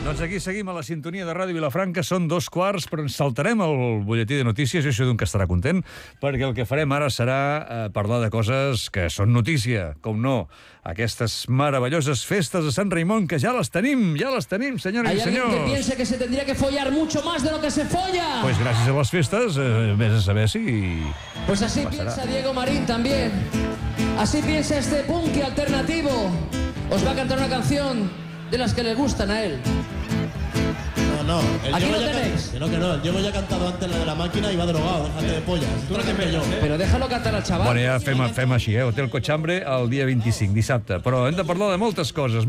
Doncs aquí seguim a la sintonia de Ràdio Vilafranca. Són 2:15, però ens saltarem el butlletí de notícies, i això d'un que estarà content, perquè el que farem ara serà parlar de coses que són notícia, com no, aquestes meravelloses festes de Sant Raimon, que ja les tenim, senyores i senyors. Hay alguien que piense que se tendría que follar mucho más de lo que se folla. Pues gràcies a les festes, vés a saber si... Pues así piensa Diego Marín también. Así piensa este punk alternativo. Os va a cantar una canción de las que le gustan a él. No, aquí lo tenéis. Que no, el Diego ya ha cantado antes la de la máquina y va drogado, déjate de pollas. Tú no te yo. Pero déjalo cantar al chaval. Bueno, ja fem així, Hotel Cochambre el dia 25, dissabte. Però hem de parlar de moltes coses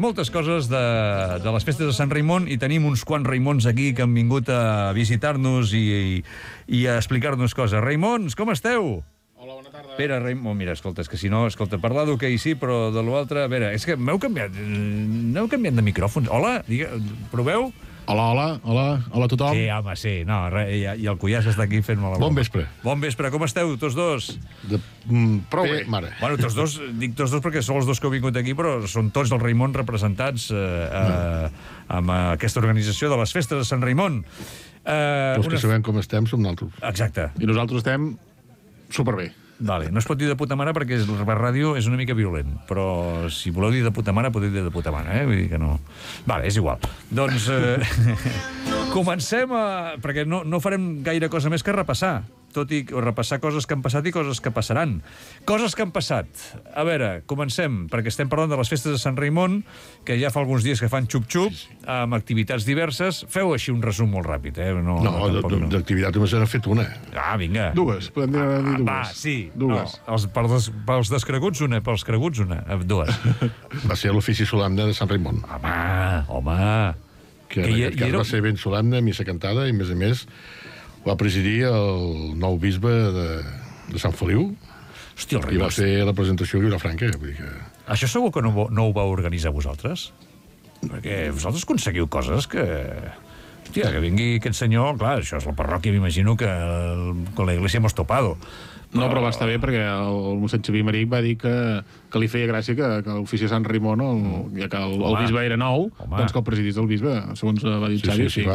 de les festes de Sant Raimon, i tenim uns quants Raimons aquí que han vingut a visitar-nos i a explicar-nos coses. Raimons, com esteu? Hola, bona tarda. Pere Raimon, mira, escolta, és que si no, parlar d'hoquei sí, però de l'altre... A veure, és que m'heu canviat de micròfons. Hola, proveu? Hola a tothom. Sí, home, sí. No, i el Cuyàs està aquí fent malament. Bon vespre. Bon vespre, com esteu, tots dos? Prou bé, mare. Bueno, tots dos, dic tots dos perquè són els dos que heu vingut aquí, però són tots els Raimon representats amb aquesta organització de les festes de Sant Raimon. Els que sabem com estem som nosaltres. Exacte. I nosaltres estem superbé. Vale, no es pot dir de puta mare perquè la ràdio és una mica violent, però si voleu dir de puta mare, podeu dir de puta mare, Vull dir que no... Vale, és igual. Doncs comencem perquè no farem gaire cosa més que repassar, tot i repassar coses que han passat i coses que passaran. Coses que han passat. A veure, comencem, perquè estem parlant de les festes de Sant Raimon, que ja fa alguns dies que fan xup-xup, amb activitats diverses. Feu així un resum molt ràpid, No, d'activitat només n'ha fet una. Ah, vinga. Dues, podem dir dues. Va, sí. Dues. Pels descreguts una, pels creguts una. Dues. Va ser l'ofici solemne de Sant Raimon. Home. Que en aquest cas va ser ben solemne, missa cantada, i a més va presidir el nou bisbe de Sant Feliu. Hòstia, i va fer la presentació a Vilafranca. Vull dir que... Això segur que no ho vau organitzar vosaltres? Perquè vosaltres aconseguiu coses que... Hòstia, que vingui aquest senyor... Clar, això és la parròquia, m'imagino que con la iglesia hemos topado. No, però va estar bé perquè el mossèn Xavier Maric va dir que li feia gràcia que l'ofici de Sant Raimon, ja que el bisbe era nou, doncs que el presidís el bisbe, segons va dir Xavier. S'hi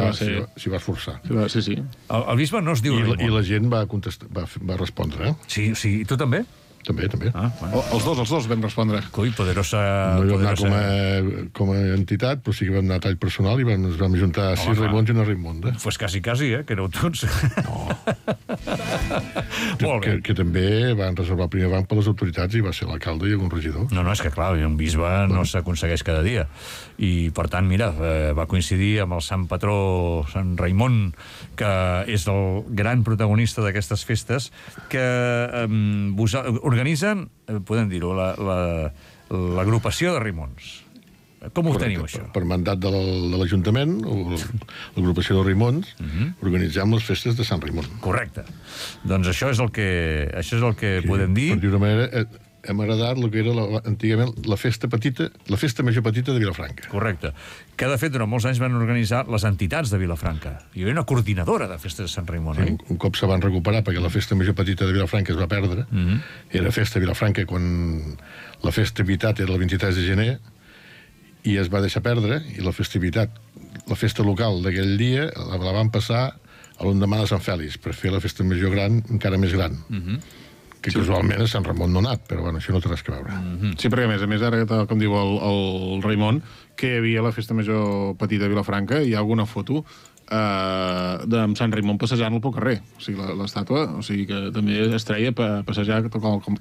va esforçar. Sí. El bisbe no es diu Raimon. I la gent va respondre. Sí, i tu també? També. Els dos vam respondre. Coi, poderosa... No hi vam anar com a entitat, però sí que vam anar a tall personal i ens vam juntar 6 Raimons i una Raimonda. Pues quasi, que éreu tots. No. Molt bé. Que també van reservar el primer banc per les autoritats i va ser l'alcalde i algun regidor. No, és que clar, un bisbe no s'aconsegueix cada dia. I, per tant, mira, va coincidir amb el sant patró, Sant Raimon, que és el gran protagonista d'aquestes festes, que organitzen, podem dir-ho, l'agrupació de Raimons. Com ho teniu, això? Per mandat de l'Ajuntament, o l'agrupació de Raimons, organitzem les festes de Sant Raimon. Correcte. Doncs això és el que podem dir. Per dir una manera, hem heredat el que era antigament la festa major petita de Vilafranca. Correcte. Que, de fet, durant molts anys van organitzar les entitats de Vilafranca. Hi havia una coordinadora de festes de Sant Raimon, oi? Un cop se van recuperar, perquè la festa major petita de Vilafranca es va perdre, era festa Vilafranca quan la festivitat era el 23 de gener, i es va deixar perdre, i la festa local d'aquell dia la van passar a l'endemà de Sant Fèlix, per fer la festa major gran encara més gran. Que casualment a Sant Ramon no ha anat, però bueno, això no té res que veure. Sí, perquè a més ara, com diu el Raimon, que hi havia la festa major petita de Vilafranca, hi ha alguna foto amb Sant Raimon passejant pel carrer, o sigui, l'estàtua, o sigui que també es treia passejar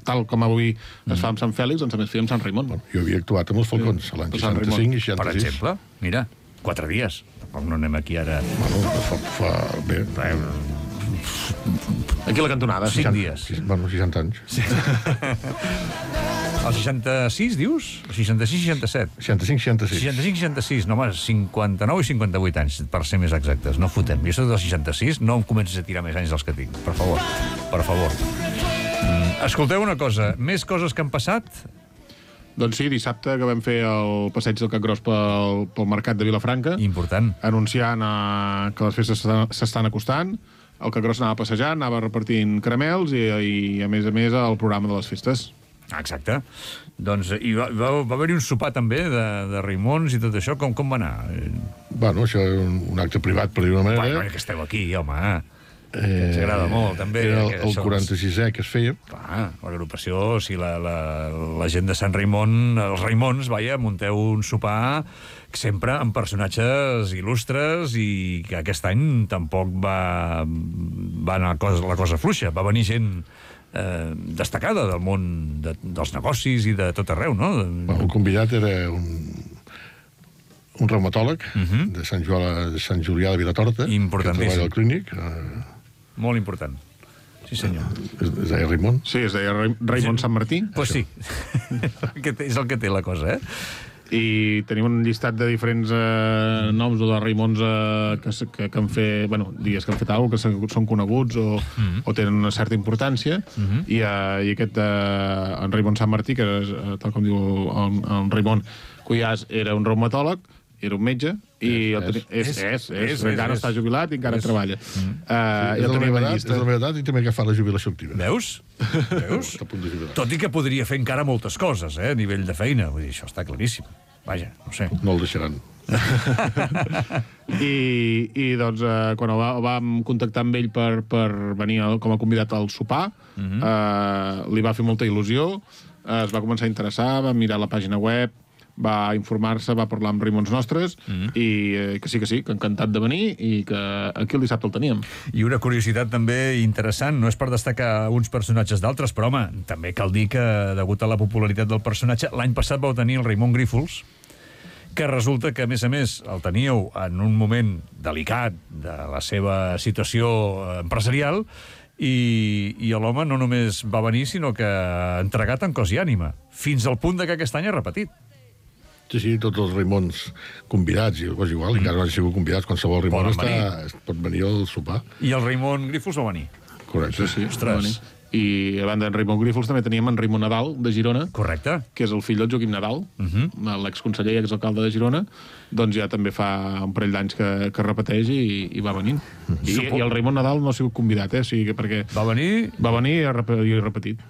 tal com avui es fa amb Sant Fèlix, doncs també es feia amb Sant Raimon. Jo havia actuat amb els Falcons l'any 65 i 66. Per exemple, mira, 4 dies. Tampoc no anem aquí ara... Bueno, fa bé... Aquí a la cantonada. 5 dies. Bueno, 60 anys. El 66, dius? El 66-67? 65-66. 65-66, no, home, 59 i 58 anys, per ser més exactes. No fotem. Jo soc del 66, no em comencis a tirar més anys dels que tinc. Per favor. Escolteu una cosa, més coses que han passat? Doncs sí, dissabte que vam fer el passeig del Capgròs pel mercat de Vilafranca. Important. Anunciant que les festes s'estan acostant. El Capgròs anava passejant, anava repartint caramels i a més el programa de les festes. Exacte. Doncs i va haver-hi un sopar també de Raimons i tot això. Com va anar? Bueno, això és un acte privat, per dir una manera. Bueno, que esteu aquí, home. Que ens agrada molt, també. Era el 46è que es feia. Clar, l'agrupació, o sigui, la gent de Sant Raimon, els Raimons, munteu un sopar sempre amb personatges il·lustres i que aquest any tampoc va anar la cosa fluixa. Va venir gent destacada del món dels negocis i de tot arreu, no? El convidat era un reumatòleg de Sant Julià de Vilatorta, que treballa al clínic. Molt important. Sí, senyor. Es deia Raimon? Sí, es deia Raimon Sant Martí. Pues sí. És el que té la cosa, I tenim un llistat de diferents noms o de Raimons que han fet, bueno, digues que han fet alguna cosa, que són coneguts o tenen una certa importància, i aquest en Raimon Sant Martí, que és, tal com diu en Raimon Cuyàs, era un reumatòleg, era un metge, i encara està jubilat i encara treballa. És la meva edat i també agafar la jubilació activa. Veus? Tot i que podria fer encara moltes coses, a nivell de feina. Vull dir, això està claríssim. Vaja, no sé. No el deixaran. I doncs, quan vam contactar amb ell per venir com a convidat al sopar, li va fer molta il·lusió, es va començar a interessar, va mirar la pàgina web, va informar-se, va parlar amb Raimons nostres, i que sí, que encantat de venir, i que aquí el dissabte el teníem. I una curiositat també interessant, no és per destacar uns personatges d'altres, però home, també cal dir que, degut a la popularitat del personatge, l'any passat vau tenir el Raimon Grífols, que resulta que, a més, el teníeu en un moment delicat de la seva situació empresarial, i l'home no només va venir, sinó que ha entregat en cos i ànima, fins al punt que aquest any ha repetit. Sí, tots els Raimons convidats, i és igual, encara no han sigut convidats, qualsevol Raimon pot venir al sopar. I el Raimon Grífols va venir. Correcte. Sí, va venir. I a banda d'en Raimon Grífols també teníem en Raimon Nadal, de Girona. Correcte. Que és el fill del Joaquim Nadal, l'exconseller i exalcalde de Girona. Doncs ja també fa un parell d'anys que repeteix i va venint. I el Raimon Nadal no ha sigut convidat, o sigui, perquè... Va venir i ha repetit.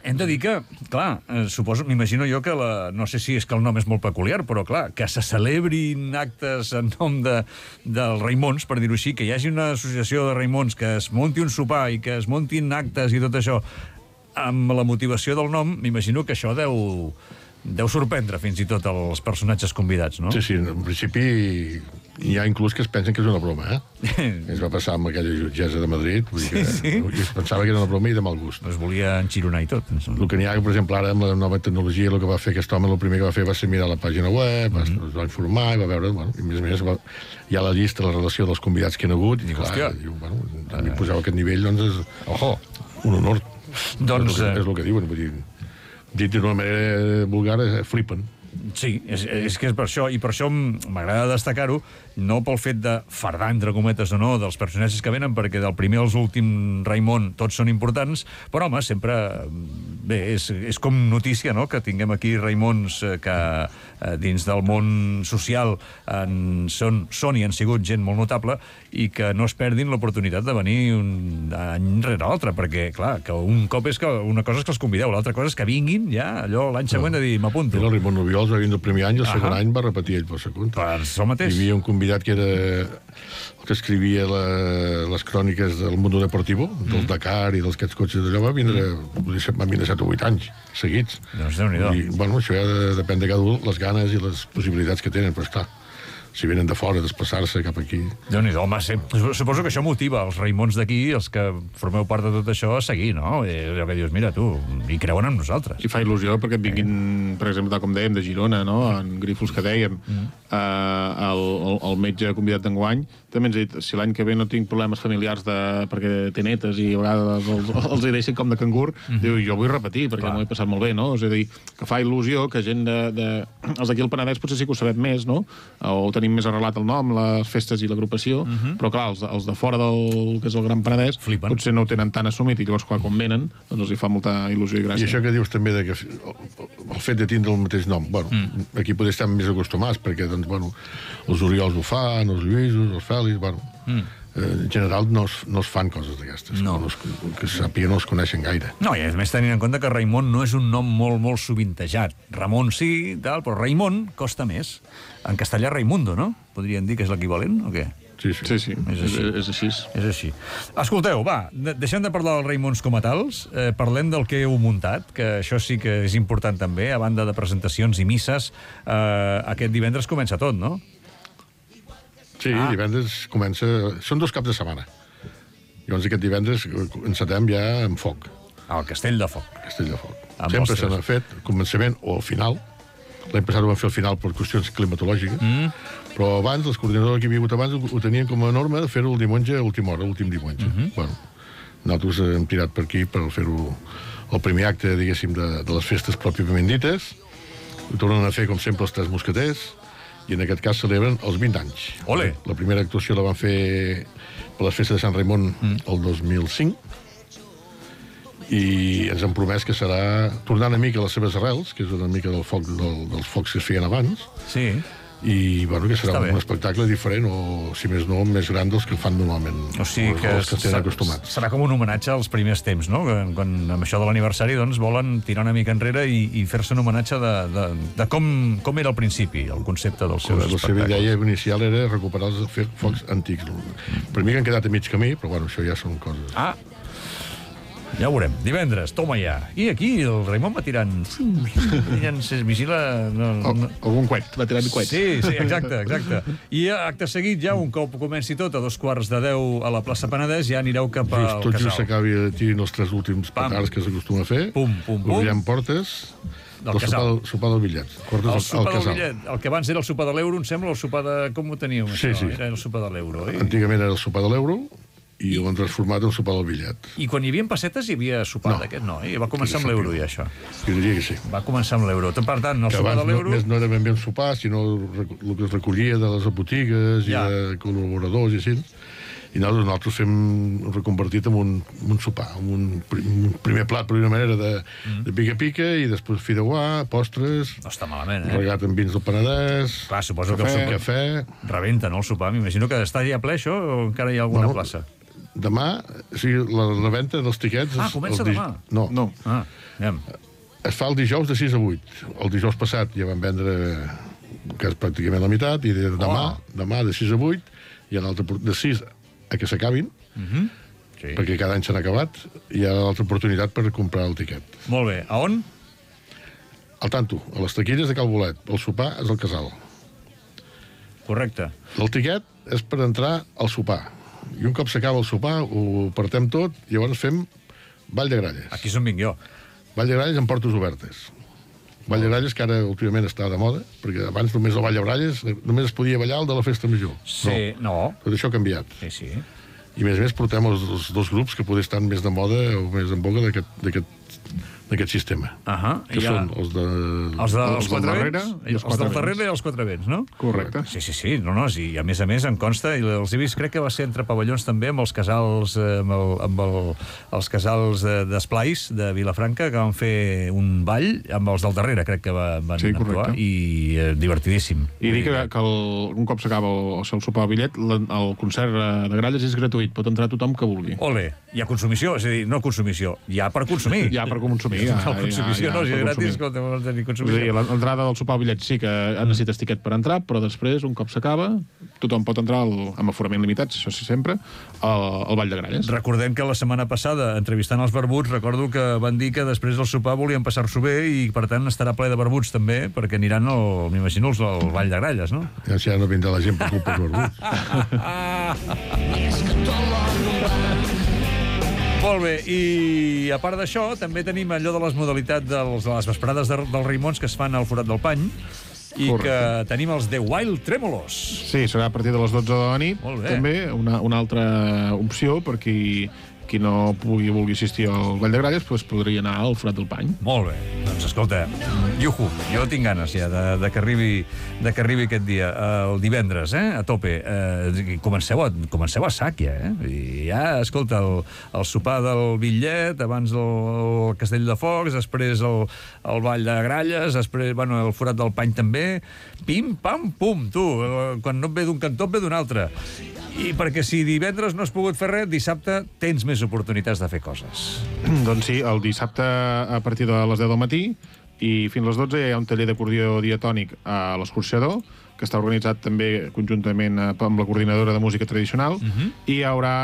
Hem de dir que, clar, suposo, m'imagino jo que no sé si és que el nom és molt peculiar, però clar, que se celebrin actes en nom dels Raimons, per dir-ho així, que hi hagi una associació de Raimons, que es munti un sopar i que es muntin actes i tot això, amb la motivació del nom, m'imagino que això deu sorprendre fins i tot els personatges convidats, no? Sí, en principi hi ha inclús que es pensen que és una broma, Es va passar amb aquella jutgessa de Madrid, vull dir que es pensava que era una broma i de mal gust. Es volia enxironar i tot. El que n'hi ha, per exemple, ara amb la nova tecnologia, el que va fer aquest home, el primer que va fer va ser mirar la pàgina web, es va informar i va veure, i a més hi ha la llista, la relació dels convidats que hi ha hagut, i clar, a mi poseu aquest nivell, doncs és un honor. Doncs és el que diuen, vull dir, dit d'una manera vulgar, flipen. Sí, és que és per això, i per això m'agrada destacar-ho, no pel fet de fardar, entre cometes o no, dels personatges que venen, perquè del primer als últim Raimon tots són importants, però home, sempre, bé, és com notícia, no?, que tinguem aquí Raimons que dins del món social són i han sigut gent molt notable i que no es perdin l'oportunitat de venir un any rere l'altre, perquè, clar, que un cop és que una cosa és que els convideu, l'altra cosa és que vinguin ja allò l'any següent a dir, m'apunto. El Raimon Nubiols va venir el primer any i el segon any va repetir ell per segon. Per això mateix. Hi havia un convidat que era el que escrivia les cròniques del Mundo Deportivo, del Dakar i dels aquests cotxes d'allò, va vindre 7 o 8 anys seguits. Doncs Déu-n'hi-do. Bueno, això ja depèn de cada un, les ganes i les possibilitats que tenen, però esclar, si venen de fora, desplaçar-se cap aquí... Déu-n'hi-do, home, suposo que això motiva els Raimons d'aquí, els que formeu part de tot això, a seguir, no? Allò que dius, mira, tu, hi creuen en nosaltres. I fa il·lusió perquè et vinguin, per exemple, tal com dèiem, de Girona, no?, en Grífols que dèiem, el metge convidat d'enguany, també ens ha dit, si l'any que ve no tinc problemes familiars perquè té netes i a vegades els hi deixen com de cangur, diu, jo vull repetir, perquè m'ho he passat molt bé, no? És a dir, que fa il·lusió que gent els d'aquí al Penedès potser sí que ho sabem més, no? O tenim més arrelat el nom, les festes i l'agrupació, però clar, els de fora del que és el Gran Penedès potser no ho tenen tan assumit i llavors quan venen doncs els hi fa molta il·lusió i gràcia. I això que dius també que el fet de tindre el mateix nom, bueno, aquí podem estar més acostumats perquè, doncs, bueno, els Oriols ho fan, els Lluïsos, els Fèlix, bueno, en general no es fan coses d'aquestes. No. Que sàpiga no es coneixen gaire. No, i a més tenint en compte que Raimon no és un nom molt, molt sovintejat. Ramon sí, tal, però Raimon costa més. En castellà Raimundo, no? Podríem dir que és l'equivalent, o què? Sí. Sí, és així. És així. Escolteu, va, deixem de parlar dels Raimons com a tals, parlem del que heu muntat, que això sí que és important també, a banda de presentacions i misses, aquest divendres comença tot, no? Sí, divendres comença... Són 2 caps de setmana. Llavors aquest divendres encetem ja amb foc. Al Castell de Foc. Castell de Foc. Amb Sempre els se n'ha fet al començament o al final. L'any passat ho vam fer al final per qüestions climatològiques, però abans, els coordinadors que hi havia hagut abans ho tenien com a norma de fer-ho el diumenge a última hora, l'últim diumenge. Bueno, nosaltres hem tirat per aquí per fer-ho el primer acte, diguéssim, de les festes pròpiament dites. Ho tornen a fer, com sempre, els 3 mosqueters, i en aquest cas celebren els 20 anys. Ole! La primera actuació la van fer per les festes de Sant Raimon el 2005, i ens han promès que serà tornar una mica a les seves arrels, que és una mica dels focs que es feien abans, Sí. i bueno, que serà Està bé. un espectacle diferent, o si més no, més gran dels que fan normalment, O sigui que els que estem acostumats. serà com un homenatge als primers temps, no? Quan amb això de l'aniversari doncs, volen tirar una mica enrere i fer-se un homenatge de com era al principi, el concepte dels seus La seva espectacles. idea inicial era recuperar els focs antics. Per mi que han quedat a mig camí, però bueno, això ja són coses. Ah, ja ho veurem. Divendres, toma ja. I aquí el Raimon va tirant... Es vigila... No. Algun coet, va tirant coets. Sí, exacte. I acte seguit, ja, un cop comenci tot, a 2:45 a la plaça Penedès, ja anireu cap al Tot just casal. s'acabi de tirar els 3 últims Pam. petards que s'acostuma a fer. Pum. Obrirem portes Del casal. sopar del bitllet. El Portes al sopar del casal. bitllet, el que abans era el sopar de l'euro, em sembla, el sopar de... Com ho teníeu, Sí, això? sí. Era el sopar de l'euro, oi? Antigament era el sopar de l'euro i ho han transformat en sopar del bitllet. I quan hi havia pessetes hi havia sopar No. d'aquest, no? Va començar amb l'euro, ja, això. Jo diria que sí. Va començar amb l'euro. Per tant, el Que sopar de abans l'euro... no era ben bé un sopar, sinó el que es recollia de les botigues Ja. i de col·laboradors i així. I nosaltres fem reconvertit en un sopar, en un primer plat, per una manera, de pica-pica, i després fideuà, postres, No està malament, regat amb vins del Penedès, Clar, suposo que el sopar... cafè... Rebenta, no, el sopar? M'imagino que està ja ple, això, o encara hi ha alguna plaça? Demà, o sigui, la venda dels tiquets... Comença demà? No. Ah, anem. Es fa el dijous de 6 a 8. El dijous passat ja van vendre que és pràcticament la meitat, i demà de 6 a 8 hi ha l'altre de 6 a que s'acabin, Sí. perquè cada any s'han acabat, i hi ha l'altra oportunitat per comprar el tiquet. Molt bé. A on? Al tanto, a les taquilles de Cal Bolet. El sopar és al casal. Correcte. El tiquet és per entrar al sopar. I un cop s'acaba el sopar, ho partem tot, i llavors fem ball de gralles. Aquí és on vinc jo. Ball de gralles amb portes obertes. Ball de gralles que ara últimament està de moda, perquè abans només el ball de gralles només es podia ballar el de la festa major. Sí, no. Tot això ha canviat. Sí. I a més portem els 2 grups que poder estar més de moda o més en boga d'aquest sistema. Que són els de... Els Els del quatre darrere vents? i els Els quatre del vents. darrere i els quatre vents, no? Correcte. Sí. No, i a més em consta, i els he vist, crec que va ser entre pavellons també, amb els casals, els casals d'esplais de Vilafranca, que van fer un ball amb els del darrere, crec que van actuar, i divertidíssim. I dir que un cop s'acaba el sopar al bitllet, el concert de gralles és gratuït, pot entrar tothom que vulgui. Ole, hi ha consumició? És a dir, no consumició, hi ha per consumir. Ja per consumir. No, consumició no, si és gratis, escolta, no tenir És a consumició. dir, l'entrada del sopar al bitllet sí que necessites tiquet per entrar, però després, un cop s'acaba, tothom pot entrar amb aforament limitat, això sí sempre, al ball de gralles. Recordem que la setmana passada, entrevistant els barbuts, recordo que van dir que després del sopar volien passar-s'ho bé i, per tant, estarà ple de barbuts també, perquè aniran, m'imagino, al ball de gralles, no? Ja no vindrà la gent per culpa dels barbuts. Molt bé, i a part d'això, també tenim allò de les modalitats de les vesprades dels Raimons que es fan al Forat del Pany, i que tenim els The Wild Tremolos. Sí, serà a partir de les 12 de la nit. Molt bé. També una altra opció per qui no vulgui assistir al Ball de Gralles, doncs podria anar al Forat del Pany. Molt bé. Doncs escolta, iuhu, jo tinc ganes ja de que arribi aquest dia, el divendres, a tope. Comenceu a sac ja, I ja, escolta, el sopar del bitllet, abans el Castell de Focs, després el Ball de Gralles, després, el Forat del Pany també. Pim, pam, pum, tu. Quan no et ve d'un cantó, et ve d'un altre. I perquè si divendres no has pogut fer res, dissabte tens més oportunitats de fer coses. Doncs sí, el dissabte a partir de les 10 del matí i fins a les 12 hi ha un taller d'acordió diatònic a l'Escorxador, que està organitzat també conjuntament amb la coordinadora de música tradicional, i hi haurà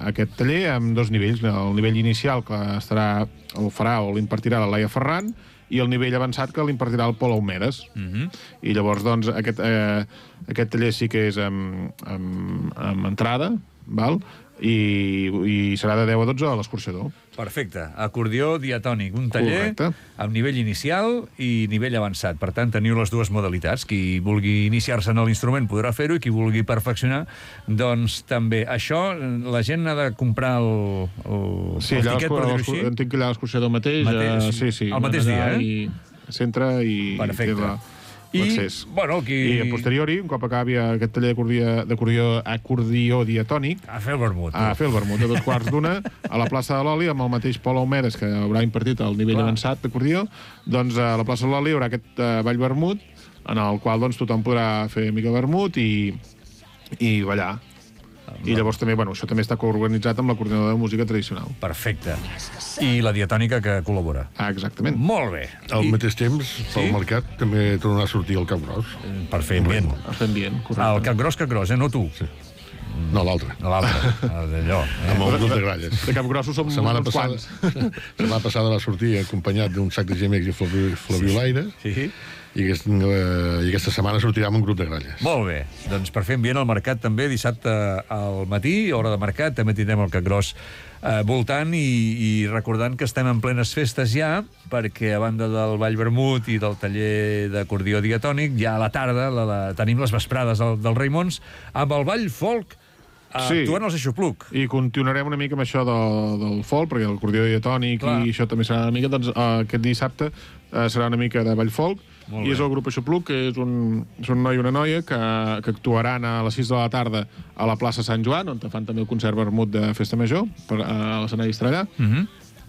aquest taller amb 2 nivells. El nivell inicial, que el farà o l'impartirà la Laia Ferran, i el nivell avançat, que l'impartirà el Pol Aumedes. I llavors, doncs, aquest taller sí que és amb entrada, val? I serà de 10 a 12 a l'Escorxador. Perfecte. Acordió diatònic, un taller amb nivell inicial i nivell avançat. Per tant, teniu les dues modalitats. Qui vulgui iniciar-se en l'instrument podrà fer-ho i qui vulgui perfeccionar, doncs també. Això, la gent ha de comprar el tiquet, per dir-ho així? Entenc que allà a l'Escorxador mateix. Sí. El mateix dia, S'entra i... Perfecte. I, bueno, I a posteriori, un cop acabi aquest taller d'acordió diatònic, a fer el vermut. A fer el vermut, a 2:15, a la plaça de l'Oli, amb el mateix Pol Aumedes, que haurà impartit el nivell avançat d'acordió, doncs a la plaça de l'Oli hi haurà aquest ball vermut, en el qual doncs, tothom podrà fer mica vermut i ballar. I llavors també, això també està coorganitzat amb la coordinadora de música tradicional. Perfecte. I la diatònica que col·labora. Exactament. Molt bé. Al mateix temps, pel mercat, també tornarà a sortir el Cap Gros. Per fer ambient. Per fer ambient, correcte. El Cap Gros, no tu. Sí. No, l'altre. D'allò. Amb el grup de gralles. De Capgrossos som uns quants. La setmana passada va sortir acompanyat d'un sac de gemecs i flabiolaires. Sí. I aquesta setmana sortirà amb un grup de gralles. Molt bé. Doncs per fer ambient al mercat també, dissabte al matí, hora de mercat, també tindrem el Cap Gros voltant i recordant que estem en plenes festes ja, perquè a banda del Ball Vermut i del taller d'acordió diatònic, ja a la tarda tenim les vesprades del Raimons amb el Ball Folk actuant als Aixopluc. I continuarem una mica amb això del folk, perquè l'acordió diatònic i això també serà una mica, doncs aquest dissabte serà una mica de Ball Folk, i és el grup Aixopluc, que és un noi i una noia que actuaran a les 6 de la tarda a la plaça Sant Joan, on fan també el concert vermut de Festa Major, a l'escenari Estrellà.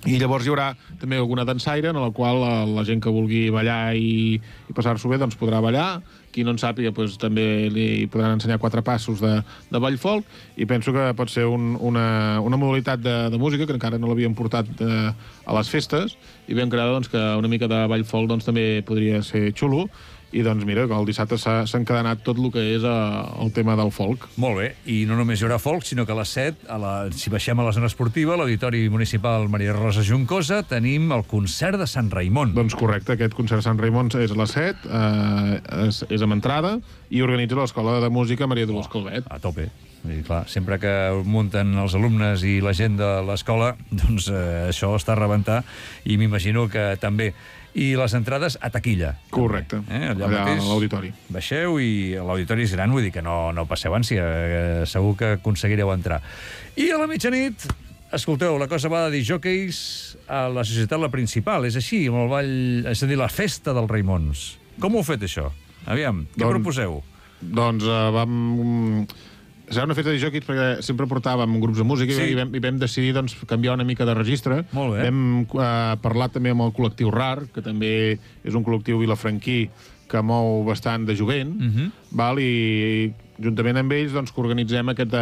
I llavors hi haurà també alguna dansaire en la qual la gent que vulgui ballar i passar-s'ho bé doncs podrà ballar. Qui no en sàpiga doncs, també li podran ensenyar 4 passos de ball folk, i penso que pot ser una modalitat de música que encara no l'havíem portat a les festes, i ben creada doncs, que una mica de ball folk doncs, també podria ser xulo. I doncs mira, el dissabte s'ha encadenat tot el que és el tema del folk. Molt bé, i no només hi haurà folk, sinó que a les 7, si baixem a la zona esportiva, l'Auditori Municipal Maria Rosa Juncosa, tenim el concert de Sant Raimon. Doncs correcte, aquest concert de Sant Raimon és a les 7, és amb entrada, i organitza l'Escola de Música Maria Dolors Calvet. A tope. I clar, sempre que munten els alumnes i la gent de l'escola, doncs això està a rebentar, i m'imagino que també. I les entrades a taquilla. Correcte, allà a l'auditori. Baixeu i l'auditori és gran, vull dir que no passeu ànsia, segur que aconseguireu entrar. I a la mitjanit, escolteu, la cosa va de disjòqueis a la Societat La Principal, és així, amb el ball, és a dir, la festa dels Raimons. Com ho heu fet, això? Aviam, què proposeu? Doncs serà una festa de jocs perquè sempre portàvem grups de música i vam decidir doncs, canviar una mica de registre. Molt bé. Vam parlar també amb el col·lectiu RAR, que també és un col·lectiu vilafranquí que mou bastant de jovent, i juntament amb ells doncs, que organitzem aquest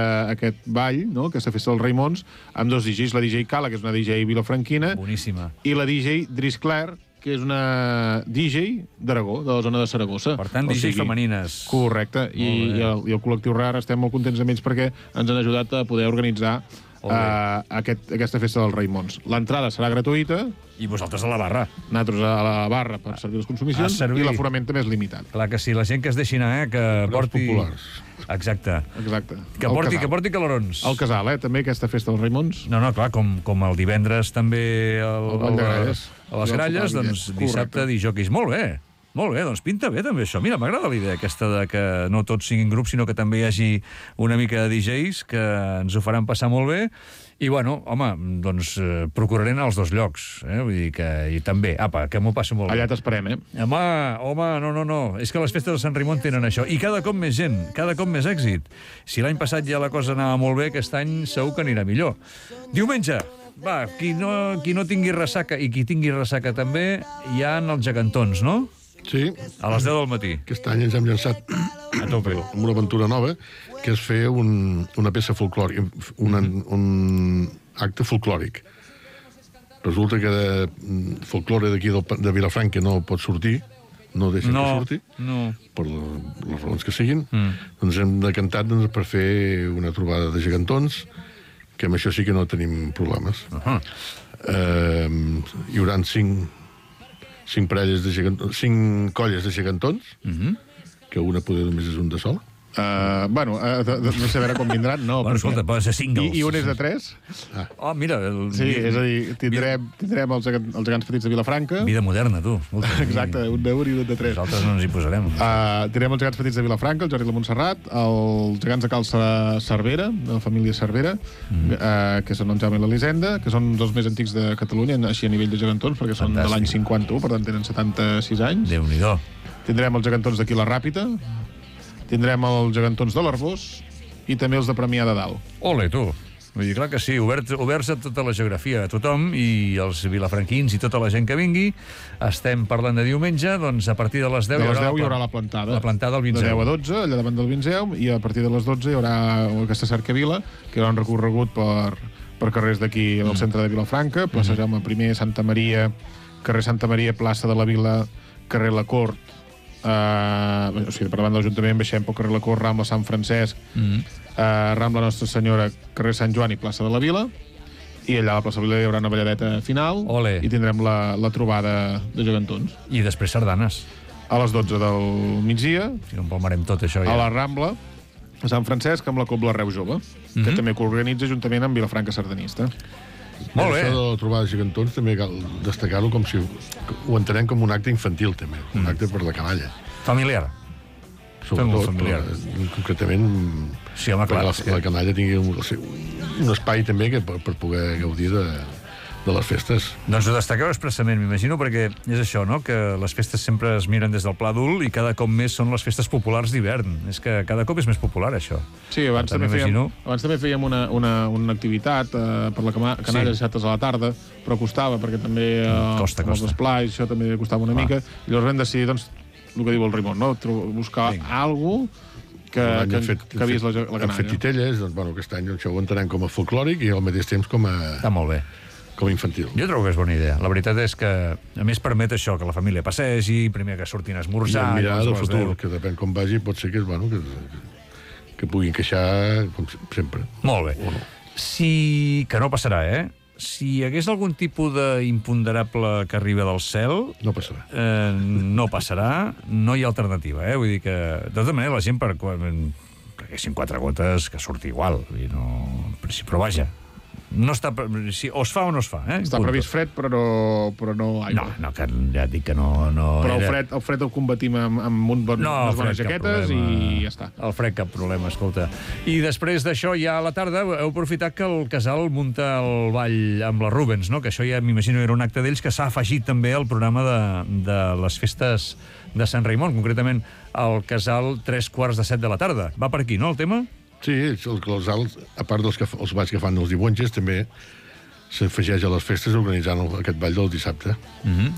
ball, aquesta festa dels Raimons, amb 2 DJs, la DJ Cala, que és una DJ vilafranquina, boníssima, i la DJ Dris Claire, que és una DJ d'Aragó, de la zona de Saragossa. Per tant, DJs femenines. Correcte, i el col·lectiu RAR estem molt contents amb ells perquè ens han ajudat a poder organitzar aquesta festa dels Raimons. L'entrada serà gratuïta. I vosaltres a la barra. Nosaltres a la barra per servir les consumicions, i l'aforament també és limitat. Clar que sí, la gent que es deixi anar, que porti... populars. Exacte. Que porti calorons. El casal, també, aquesta festa dels Raimons. No, clar, com el divendres també a les Gralles, doncs dissabte disjòqueis. Molt bé, doncs pinta bé també això. Mira, m'agrada la idea aquesta de que no tots siguin grups, sinó que també hi hagi una mica de DJs que ens ho faran passar molt bé. I, bueno, home, doncs procuraré anar als 2 llocs. Vull dir que... I també, que m'ho passo molt bé. Allà t'esperem, Home, no. És que les festes de Sant Raimon tenen això. I cada cop més gent, cada cop més èxit. Si l'any passat ja la cosa anava molt bé, aquest any segur que anirà millor. Diumenge, qui no tingui ressaca, i qui tingui ressaca també, hi ha els gegantons, no? Sí. A les 10 del matí. Aquest any ens hem llançat A tope. amb una aventura nova, que és fer una peça folclòrica, un acte folclòric. Resulta que de folclore d'aquí de Vilafranca no pot sortir, no deixen que surti, per les raons que siguin. Doncs hem decantat per fer una trobada de gegantons, que amb això sí que no tenim problemes. Hi haurà 5 colles de gegantons, que una poder només és un de sol. No sé a veure com vindran. No, Bueno, escolta, poden ser singles. I un és de 3. Oh, mira... Sí, és a dir, tindrem els gegants petits de Vilafranca. Vida moderna, tu. Exacte, un d'1 i un de 3. Nosaltres no ens hi posarem. Tindrem els gegants petits de Vilafranca, el Jordi i la Montserrat, els gegants de Cal Cervera, de la família Cervera, que són el Jaume i l'Elisenda, que són dels més antics de Catalunya, així a nivell de gegantons, perquè són de l'any 51, per tant tenen 76 anys. Déu-n'hi-do. Tindrem els gegantons d'aquí la Ràpita, tindrem els gegantons de l'Arbós i també els de Premià de Dalt. Ole, tu. Vull dir, clar que sí, oberts a tota la geografia, a tothom, i els vilafranquins i tota la gent que vingui. Estem parlant de diumenge, doncs a partir de les 10... De les 10 hi haurà la plantada. La plantada al Vinzeu. De 10 a 12, allà davant del Vinzeu, i a partir de les 12 hi haurà aquesta cercavila, que hi haurà un recorregut per carrers d'aquí al centre de Vilafranca, plaça Jaume I, Santa Maria, carrer Santa Maria, plaça de la Vila, carrer La Cort, o sigui, per davant de l'Ajuntament baixem pel carrer La Cort, Rambla Sant Francesc, Rambla Nostra Senyora, carrer Sant Joan i plaça de la Vila, i allà a la plaça de la Vila hi haurà una balladeta final. Ole. I tindrem la trobada de gegantons. I després sardanes. A les 12 del migdia, Si no empalmarem tot això ja. a la Rambla, a Sant Francesc, amb la Cobla Reu Jove, que també coorganitza juntament amb Vilafranca Sardanista. Molt bé. Això de la trobada de gegantons també cal destacar-ho com si ho entenem com un acte infantil, també. Un acte per la canalla. Familiar. Sobretot, familiar. Concretament, Sí, home, clar. perquè la canalla tingui un espai també per poder gaudir de les festes. Doncs ho destaqueu expressament, m'imagino, perquè és això, no?, que les festes sempre es miren des del pla adult i cada cop més són les festes populars d'hivern. És que cada cop és més popular, això. Sí, abans també fèiem una activitat per la canalla de a la tarda, però costava, perquè també Costa. els esplais, això també costava una mica, i llavors vam decidir, doncs, el que diu el Raimon, no?, buscar alguna cosa que vist la canalla. Hem fet titelles, doncs, bueno, aquest any això ho entenem com a folclòric i al mateix temps com Està molt bé. a infantil. Jo trobo que és bona idea. La veritat és que, a més, permet això, que la família passegi, primer que surtin a esmorzar... I mirar del futur, que depèn com vagi, pot ser que puguin queixar, com sempre. Molt bé. Que no passarà, Si hi hagués algun tipus d'imponderable que arriba del cel... No passarà. No passarà, no hi ha alternativa, Vull dir que, de tota manera, la gent, perquè haguessin 4 gotes, que surti igual. Vull dir, però vaja, no està... O es fa o no es fa, Està previst fred, però no aigua. No, que ja et dic que no... Però el fred el combatim amb unes bones jaquetes i ja està. El fred cap problema, escolta. I després d'això, ja a la tarda, heu aprofitat que el casal munta el ball amb la Rubens, no? Que això ja m'imagino era un acte d'ells que s'ha afegit també al programa de les festes de Sant Raimon, concretament al casal 7:15 de la tarda. Va per aquí, no, el tema? Sí, el casal, a part dels balls que fan els diumenges, també s'afegeix a les festes organitzant aquest ball del dissabte.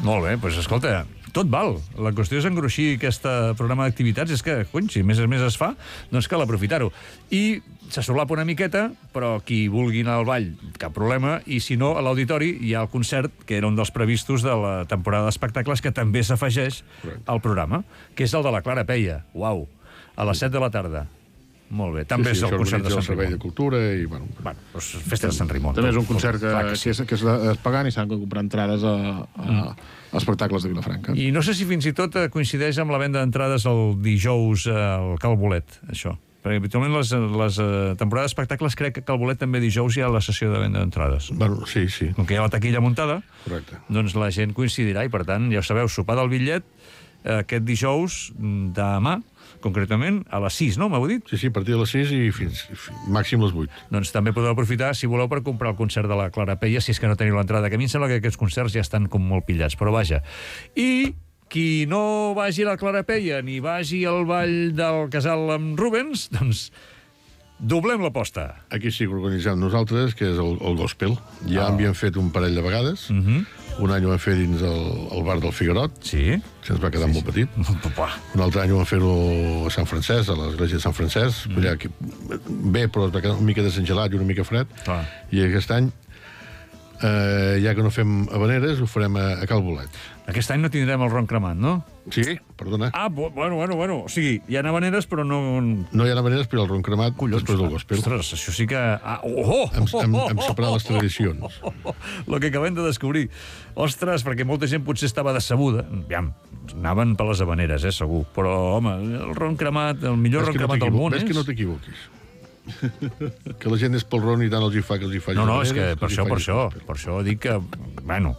Molt bé, doncs escolta, tot val. La qüestió és engruixir aquest programa d'activitats, és que, cony, si més es fa, doncs cal aprofitar-ho. I se solapa una miqueta, però qui vulgui anar al ball, cap problema, i si no, a l'auditori hi ha el concert, que era un dels previstos de la temporada d'espectacles, que també s'afegeix al programa, que és el de la Clara Peia. Uau! A les 7 de la tarda. Molt bé. També és el concert de Sant Raimon. El Servei de Cultura i... Doncs festa de Sant Raimon. També és un concert que és pagant i s'han de comprar entrades a espectacles de Vilafranca. I no sé si fins i tot coincideix amb la venda d'entrades el dijous al Cal Bolet, això. Perquè habitualment les temporades d'espectacles crec que a Cal Bolet també dijous hi ha la sessió de venda d'entrades. Sí. Com que hi ha la taquilla muntada, correcte, doncs la gent coincidirà i, per tant, ja ho sabeu, sopar del bitllet aquest dijous demà, concretament, a les 6, no? M'heu dit? Sí, a partir de les 6 i fins màxim les 8. Doncs també podeu aprofitar, si voleu, per comprar el concert de la Clara Peia, si és que no teniu l'entrada, que a mi em sembla que aquests concerts ja estan com molt pillats, però vaja. I qui no vagi a la Clara Peia ni vagi al ball del casal amb Rubens, doncs Doblem l'aposta. Aquí sí que organitzem nosaltres, que és el gospel. Ja havíem fet un parell de vegades. Un any ho vam fer dins el bar del Figuerot, Sí? que ens va quedar molt petit. Papa. Un altre any ho vam fer-ho a Sant Francesc, a l'església de Sant Francesc. Allà, bé, però es va quedar una mica desengelat i una mica fred. Clar. I aquest any, ja que no fem habaneres, ho farem a Cal Bolet. Aquest any no tindrem el ron cremat, no? Sí, perdona. Ah, bueno. O sigui, hi ha habaneres, però no... No hi ha habaneres, però el ron cremat després del gospel. Ostres, això sí que... Hem separat les tradicions. Lo que acabem de descobrir. Ostres, perquè molta gent potser estava decebuda. Aviam, anaven per les habaneres, segur. Però, home, el ron cremat, el millor ron cremat del món és... Ves que no t'equivoquis. Que la gent és pel ron i tant els hi fa que els hi faci. No, és que per això dic que, bueno,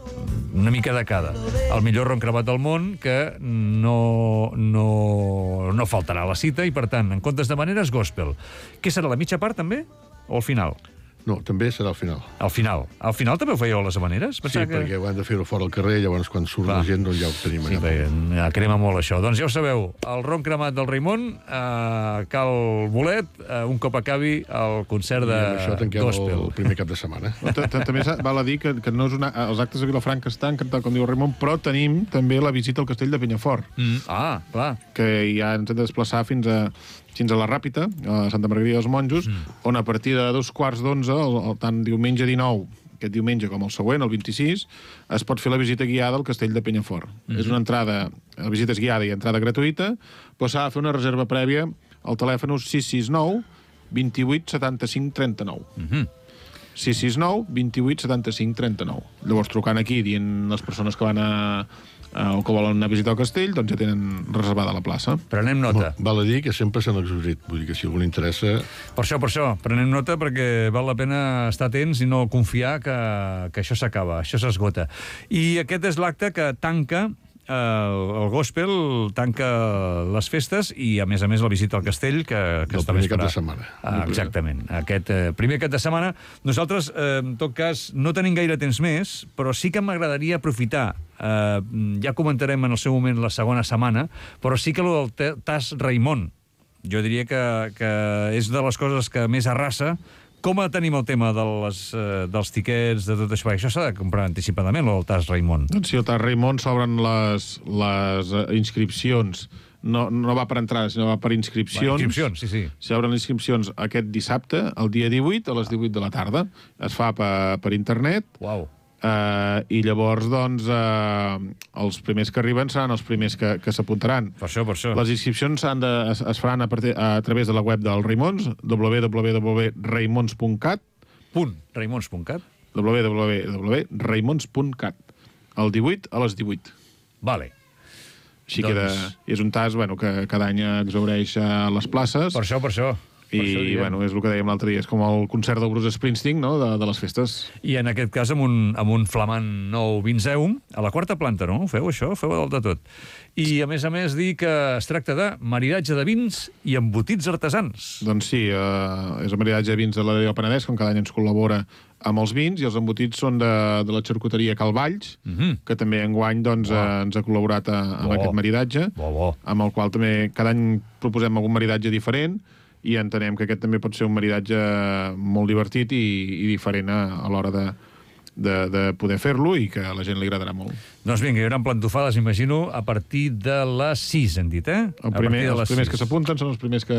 una mica de cada. El millor ron cremat del món, que no faltarà a la cita, i per tant, en comptes de maneres, gospel. Què serà, la mitja part també? O al final? No, també serà al final. Al final. Al final també ho fèieu a les habaneres? Sí, perquè ho hem de fer-ho fora al carrer, llavors quan surt la gent doncs ja ho tenim allà. Sí, crema molt això. Doncs ja ho sabeu, el ron cremat del Raimon, Cal Bolet, un cop acabi el concert de gospel. I amb això tanquem el primer cap de setmana. També val a dir que no és els actes de Vilafranca estan, com diu el Raimon, però tenim també la visita al castell de Penyafort. Clar. Que ja ens hem de desplaçar fins a la Ràpita, a Santa Margarida dels Monjos, on a partir de 2:15, tant diumenge 19, aquest diumenge com el següent, el 26, es pot fer la visita guiada al castell de Penyafort. És una entrada, la visita és guiada i entrada gratuïta, però s'ha de fer una reserva prèvia al telèfon 669 28 75 39. 669 28 75 39. Llavors, trucant aquí, dient les persones que van o que volen anar a visitar el castell, doncs ja tenen reservada la plaça. Prenem nota. Val a dir que sempre s'han exaurit. Vull dir que si algú li interessa... Per això. Prenem nota perquè val la pena estar atents i no confiar que això s'acaba, això s'esgota. I aquest és l'acte que tanca el gospel, tanca les festes i, a més, la visita al castell, que està primer cap de setmana. Exactament. Aquest primer cap de setmana. Nosaltres, en tot cas, no tenim gaire temps més, però sí que m'agradaria aprofitar. Ja comentarem en el seu moment la segona setmana, però sí que el del Tas Raimon, jo diria que és de les coses que més arrasa. Com tenim el tema dels tiquets, de tot això? Perquè això s'ha de comprar anticipadament, el Tas Raimon. Doncs sí, el Tas Raimon s'obren les inscripcions. No va per entrades, sinó va per inscripcions. Inscripcions, sí. S'obren les inscripcions aquest dissabte, el dia 18, a les 18 de la tarda. Es fa per internet. Uau. I llavors, doncs, els primers que arriben seran els primers que s'apuntaran. Per això. Les inscripcions es faran a través de la web del Raimons, www.raimons.cat www.raimons.cat el 18 a les 18. Vale. Així que és un tas que cada any exhaureix les places. Per això. I, és el que dèiem l'altre dia, és com el concert del Bruce Springsteen, no?, de les festes. I en aquest cas amb un flamant nou Vinzeum, a la quarta planta, no? Feu això? Feu dalt de tot. I, a més, dir que es tracta de maridatge de vins i embotits artesans. Doncs sí, és el maridatge de vins de l'Adéu Penedès, com cada any ens col·labora amb els vins, i els embotits són de la xarcuteria Calvalls, que també enguany ens ha col·laborat amb aquest maridatge, amb el qual també cada any proposem algun maridatge diferent, i entenem que aquest també pot ser un maridatge molt divertit i diferent a l'hora de poder fer-lo i que a la gent li agradarà molt. Doncs vinga, hi haurà plantofades, imagino, a partir de les 6, hem dit, Els primers que s'apunten són els primers que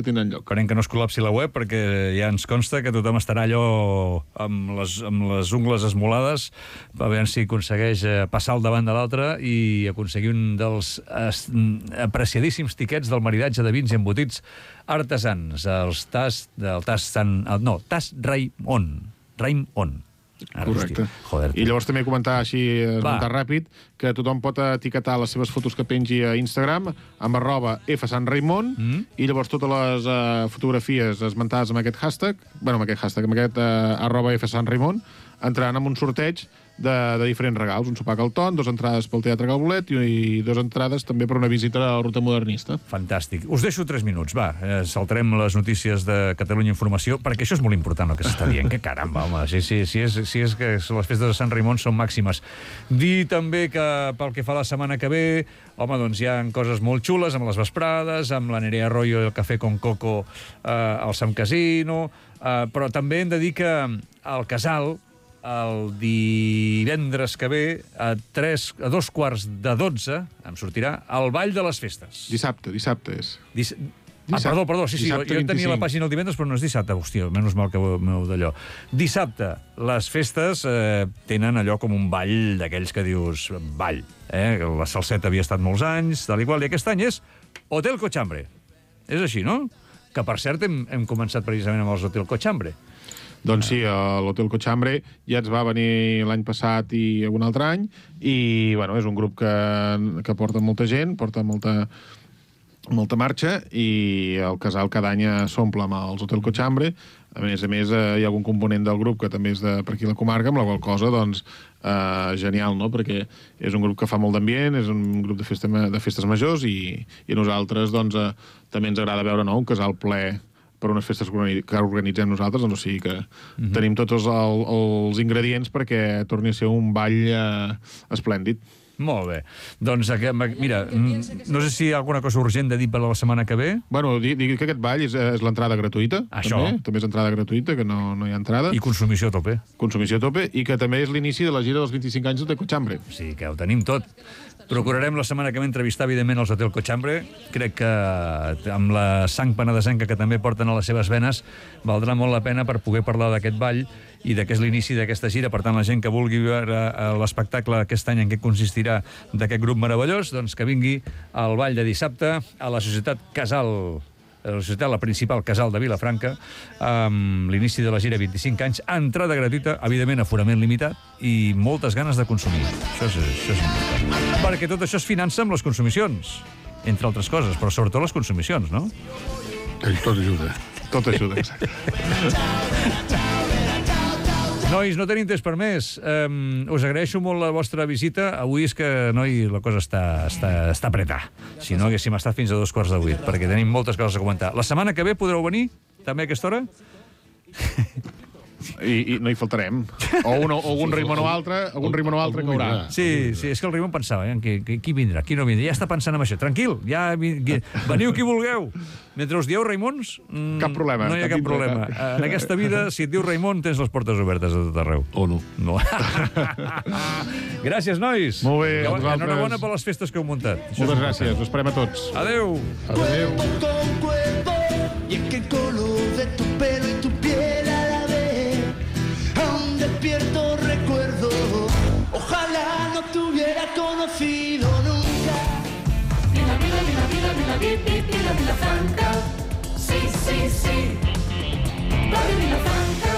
tenen lloc. Esperem que no es col·lapsi la web, perquè ja ens consta que tothom estarà allò amb les ungles esmolades, a veure si aconsegueix passar al davant de l'altre i aconseguir un dels apreciadíssims tiquets del maridatge de vins i embotits artesans, Tas Raimon. Correcte. I llavors també comentar així, esmentar ràpid, que tothom pot etiquetar les seves fotos que pengi a Instagram amb @fsanraimon i llavors totes les fotografies esmentades amb aquest hashtag, amb aquest @fsanraimon, entraran en un sorteig de diferents regals. Un sopar Calton, 2 entrades pel Teatre Galbolet i 2 entrades també per una visita a la Ruta Modernista. Fantàstic. Us deixo 3 minuts, va. Saltarem les notícies de Catalunya Informació, perquè això és molt important el que s'està dient. Que caramba, home, si és que les festes de Sant Raimon són màximes. Dir també que pel que fa la setmana que ve, home, doncs hi ha coses molt xules amb les vesprades, amb la Nerea Arroyo i el Cafè con Coco al Sam Casino, però també hem de dir que al Casal, el divendres que ve, a 2:45, em sortirà el Ball de les Festes. Dissabte és. Perdó, sí, jo tenia 25. la pàgina el divendres, però no és dissabte. Hòstia, menys mal que meu d'allò. Dissabte, les festes tenen allò com un ball d'aquells que dius ball. La salseta havia estat molts anys, tal i qual, i aquest any és Hotel Cochambre. És així, no? Que, per cert, hem començat precisament amb els Hotel Cochambre. Doncs sí, l'Hotel Cochambre ja ens va venir l'any passat i un altre any, i bueno, és un grup que porta molta gent, porta molta marxa, i el Casal cada any s'omple amb els Hotel Cochambre. A més, hi ha algun component del grup que també és per aquí la comarca, amb la qual cosa, doncs, genial, no? Perquè és un grup que fa molt d'ambient, és un grup de festes majors, i a nosaltres, doncs, també ens agrada veure, no?, un casal ple per unes festes que organitzem nosaltres, doncs, o sigui que tenim tots els ingredients perquè torni a ser un ball esplèndid. Molt bé. Doncs, mira, no sé si hi ha alguna cosa urgent de dir per la setmana que ve. Bueno, dir que aquest ball és l'entrada gratuïta. Això. També és entrada gratuïta, que no hi ha entrada. I consumició a tope. Consumició a tope, i que també és l'inici de la gira dels 25 anys de Cochambre. Sí, que ho tenim tot. Procurarem la setmana que ve entrevistar, evidentment, els Hotel Cochambre. Crec que amb la sang penedesenca que també porten a les seves venes, valdrà molt la pena per poder parlar d'aquest ball i que és l'inici d'aquesta gira. Per tant, la gent que vulgui veure l'espectacle aquest any en què consistirà d'aquest grup meravellós, doncs que vingui al ball de dissabte a la Societat Casal, la principal Casal de Vilafranca, amb l'inici de la gira 25 anys, entrada gratuïta, evidentment aforament limitat, i moltes ganes de consumir. Això és important. Perquè tot això es finança amb les consumicions, entre altres coses, però sobretot les consumicions, no? Tot ajuda. Tot ajuda, exacte. Nois, no tenim temps per més. Us agraeixo molt la vostra visita. Avui és que, noi, la cosa està apretada. Si no, haguéssim estat fins a 7:45, perquè tenim moltes coses a comentar. La setmana que ve podreu venir, també a aquesta hora? I no hi faltarem. O algun Raimon o altre caurà. Sí, és que el Raimon pensava, qui vindrà, qui no vindrà. Ja està pensant en això. Tranquil, veniu qui vulgueu. Mentre us dieu Raimons, cap problema. No hi ha cap problema. En aquesta vida, si et diu Raimon, tens les portes obertes a tot arreu. O no. Gràcies, nois. Molt bé, enhorabona per les festes que heu muntat. Moltes gràcies, us esperem a tots. Adéu. Y es que el color de tu pelo y tu piel a la vez aún despierto recuerdo. Ojalá no te hubiera conocido nunca. Vila Franca. Sí, sí, sí. Vila Franca.